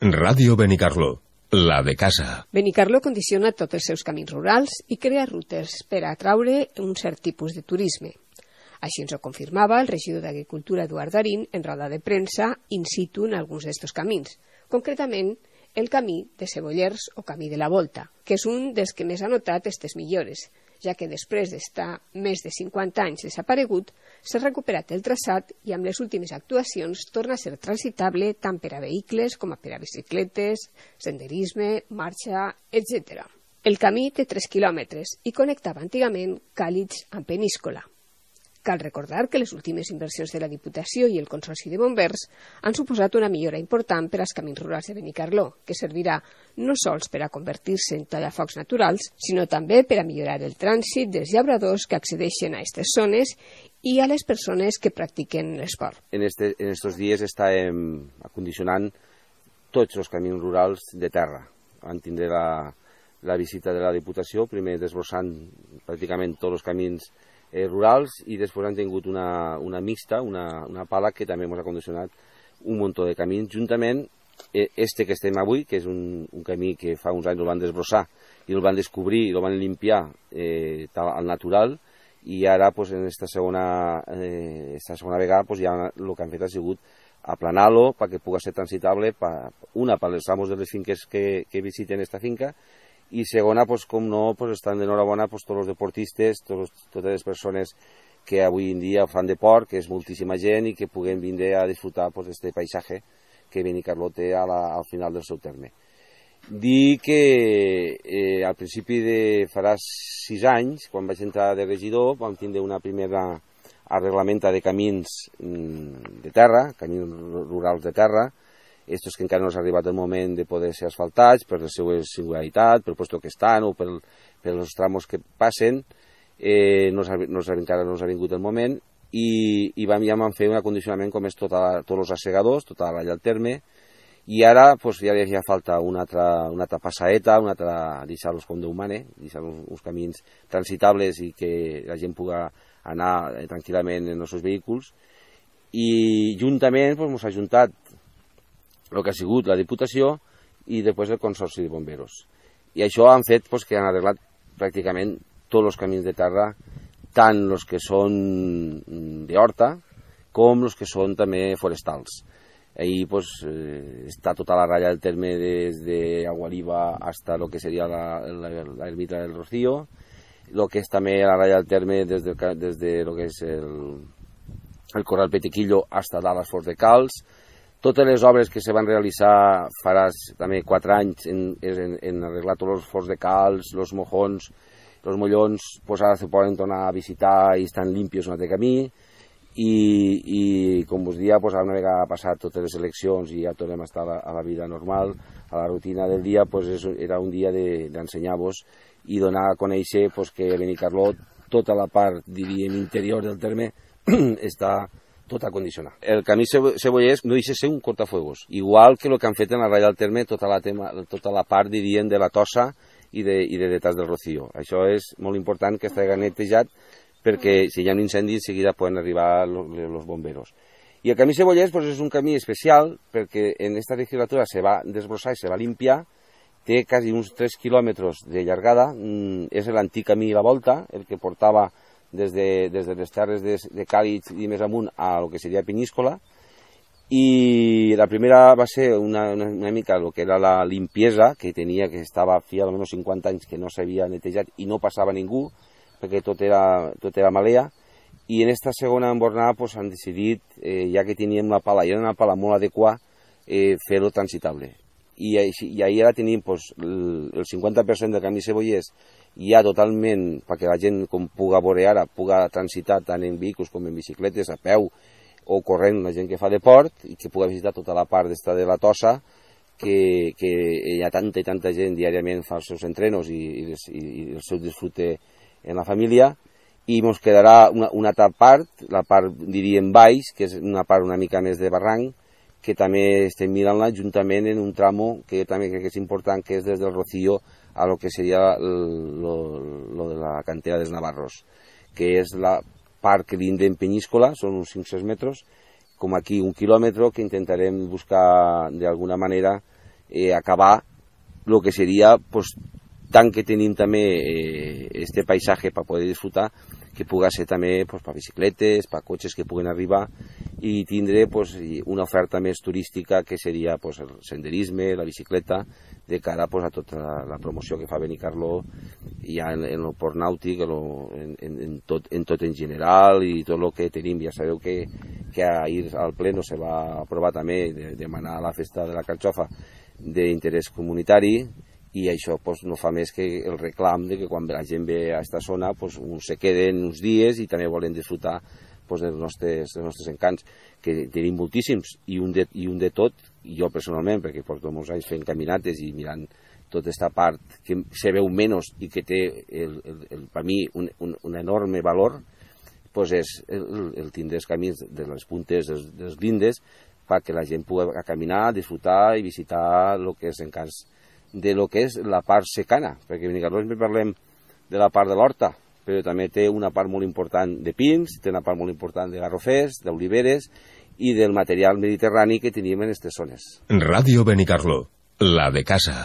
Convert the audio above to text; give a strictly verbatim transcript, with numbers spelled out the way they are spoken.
Ràdio Benicarló, la de casa. Benicarló condiciona tots els seus camins rurals i crea rutes per a atraure un cert tipus de turisme. Així ens ho confirmava el regidor d'Agricultura Eduard Darín en roda de premsa in situ en alguns d'estos camins, concretament el camí de Cebollers o camí de la Volta, que és un dels que més ha notat aquestes millores, ja que després d'estar més de cinquanta anys desaparegut, s'ha recuperat el traçat i amb les últimes actuacions torna a ser transitable tant per a vehicles com per a bicicletes, senderisme, marxa, etcètera. El camí té tres quilòmetres i connectava antigament Càlix amb Peníscola. Cal recordar que les últimes inversions de la Diputació i el Consorci de Bombers han suposat una millora important per als camins rurals de Benicarló, que servirà no sols per a convertir-se en tallafocs naturals, sinó també per a millorar el trànsit dels llauradors que accedeixen a aquestes zones i a les persones que practiquen l'esport. En estos en estos dies estàvem acondicionant tots els camins rurals de terra. Vam tindre la, la visita de la Diputació, primer desbrossant pràcticament tots els camins Eh, rurals, i després han tingut una, una mixta, una, una pala que també ens ha condicionat un munt de camins, juntament eh, este que estem avui, que és un, un camí que fa uns anys el van desbrossar i el van descobrir i el van limpiar eh, al natural, i ara pues, en esta segona, eh, esta segona vegada pues, ja el que han fet ha sigut aplanar-lo perquè pugui ser transitable, pa, una per als amos de les finques que, que visiten esta finca, i segona, pues, com no, pues, estan d'enhorabona pues, tots els deportistes, tots, totes les persones que avui en dia fan deport, que és moltíssima gent i que puguen vindre a disfrutar pues, este paisatge que Benicarló té a la, al final del seu terme. Dir que eh, al principi de farà sis anys, quan vaig entrar de regidor, vam tindre una primera arreglamenta de camins de terra, camins rurals de terra, estos que encara no s'ha arribat el moment de poder ser asfaltats per la seva singularitat, pel lloc que estan o per, per els tramos que passen, eh, no, no encara no s'ha vingut el moment, i, i vam, ja vam fer un acondicionament com és tota, tots els assegadors, tota la vall del terme, i ara pues, ja havia falta una altra, una altra passaeta, una altra deixar-los com Déu mane, deixar uns, uns camins transitables i que la gent pugui anar eh, tranquil·lament en els seus vehicles, i juntament pues, ens ha juntat el que ha sigut la Diputació i després el Consorci de Bomberos. I això han fet pues, que han arreglat pràcticament tots els camins de terra, tant els que són d'horta com els que són també forestals. Ahí pues, eh, està tota la ratlla del terme des d'Aguariba fins a lo que seria l'ermita del Rocío, el que és també la ratlla del terme des de, des de lo que és el, el Corral Petequillo fins a dalt als Forts de Calç. Totes les obres que se van realitzar farà també quatre anys en, en, en arreglar tots els forts de calç, els mojons, els mollons, pues ara se poden tornar a visitar i estan limpios un altre camí, i, i com us dia, pues ara una vegada passat totes les eleccions i ja tornem a estar a la, a la vida normal, a la rutina del dia, pues és, era un dia d'ensenyar-vos i donar a conèixer pues, que Benicarló, tota la part, diríem, interior del terme, està tot a condicionar. El camí Cebollers no deixa ser un cortafuegos, igual que el que han fet en la ratlla del terme, tota la, tema, tota la part, diríem, de la Tossa i de, i de detrás del Rocío. Això és molt important que estigui netejat perquè si hi ha un incendi, en seguida poden arribar els bomberos. I el camí Cebollers pues, és un camí especial perquè en aquesta legislatura se va desbrossar i se va limpiar, té quasi uns tres quilòmetres de llargada, és l'antic camí La Volta, el que portava des de, des de les terres de, de Càlix i més amunt a lo que seria Peníscola, i la primera va ser una, una, una mica el que era la limpiesa que tenia, que estava fi almenys cinquanta anys que no s'havia netejat i no passava ningú perquè tot era, tot era malea, i en esta segona embornada pues, han decidit, eh, ja que teníem la pala i era una pala molt adequada, eh, fer-ho transitable. I, i ahir ara tenim pues, el, el cinquanta per cent del camí Cebollers ja totalment, perquè la gent com puga veure ara, puga transitar tant en vehicles com en bicicletes, a peu o corrent, la gent que fa deport, i que puga visitar tota la part d'esta de la Tossa, que, que hi ha tanta i tanta gent diàriament fa els seus entrenos i, i, les, i, i el seu disfrute en la família, i ens quedarà una, una altra part, la part, diríem, baix, que és una part una mica més de barranc, que també estem mirant-la juntament en un tramo que també crec que és important, que és des del Rocío a lo que seria lo, lo de la cantera dels Navarros, que és la part que linda en Peníscola, són uns cinc cents metres, com aquí un quilòmetre, que intentarem buscar d'alguna manera eh, acabar el que seria, pues, tant que tenim també eh, este paisatge per poder disfrutar, que puga ser també pues, per bicicletes, per cotxes que puguen arribar i tindre pues, una oferta més turística que seria pues, el senderisme, la bicicleta, de cara pues, a tota la, la promoció que fa Benicarló ja en, en el port nàutic, en, en, en, tot, en tot en general i tot el que tenim. Ja sabeu que, que ahir al pleno se va aprovar també de demanar la festa de la carxofa d'interès comunitari, i això pues, no fa més que el reclam de que quan la gent ve a aquesta zona pues, uns se queden uns dies i també volen disfrutar pues, dels, nostres, dels nostres encants, que tenim moltíssims, i un de, i un de tot, i jo personalment, perquè porto molts anys fent caminates i mirant tota aquesta part que se veu menys i que té el, el, el, per mi un, un, un enorme valor, pues és el, el tindre els camins de les puntes dels, dels lindes perquè la gent pugui caminar, disfrutar i visitar el que és encants de lo que és la part secana, perquè a Benicarló sempre parlem de la part de l'horta, però també té una part molt important de pins, té una part molt important de garrofers, d'oliveres i del material mediterrani que tenim en aquestes zones. Ràdio Benicarló, la de casa.